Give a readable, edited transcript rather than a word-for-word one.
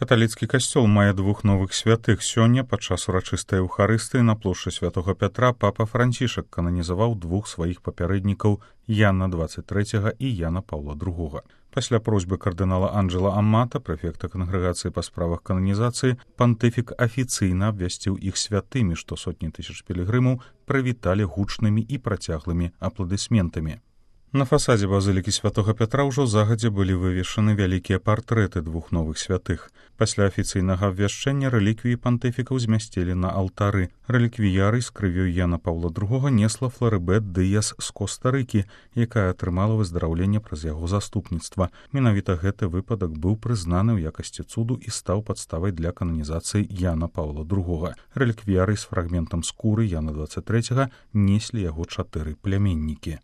Каталіцкі касцёл мае двух новых святых. Сёння падчас урачыстай эўхарыстыі на плошчы святога Пятра папа Францішак кананізаваў двух сваіх папярэднікаў Яна 23 і Яна Паўла II. Пасля просьбы кардынала Анджела Аммата, прэфекта кангрэгацыі па справах кананізацыі, пантыфік афіцыйна абвясціў іх святымі, што сотні тысяч пілігрымаў прывіталі гучнымі і працяглымі апладысментамі. На фасадзе базылікі святога Пятра ўжо загадзя былі вывешаны вялікія партрэты двух новых святых. Пасля афіцыйнага абвяшчэння рэліквіі пантыфікаў змясцілі на алтары. Рэліквіярый з крывёй Яна Паўла II несла Фларыбет Дыяс з Коста-Рыкі, якая атрымала выздараўленне праз яго заступніцтва. Менавіта гэты выпадак быў прызнаны ў якасці цуду і стаў падставай для кананізацыі Яна Паўла II. Рэліквіярый з фрагментам скуры Яна 23 неслі яго 4 пляменнікі.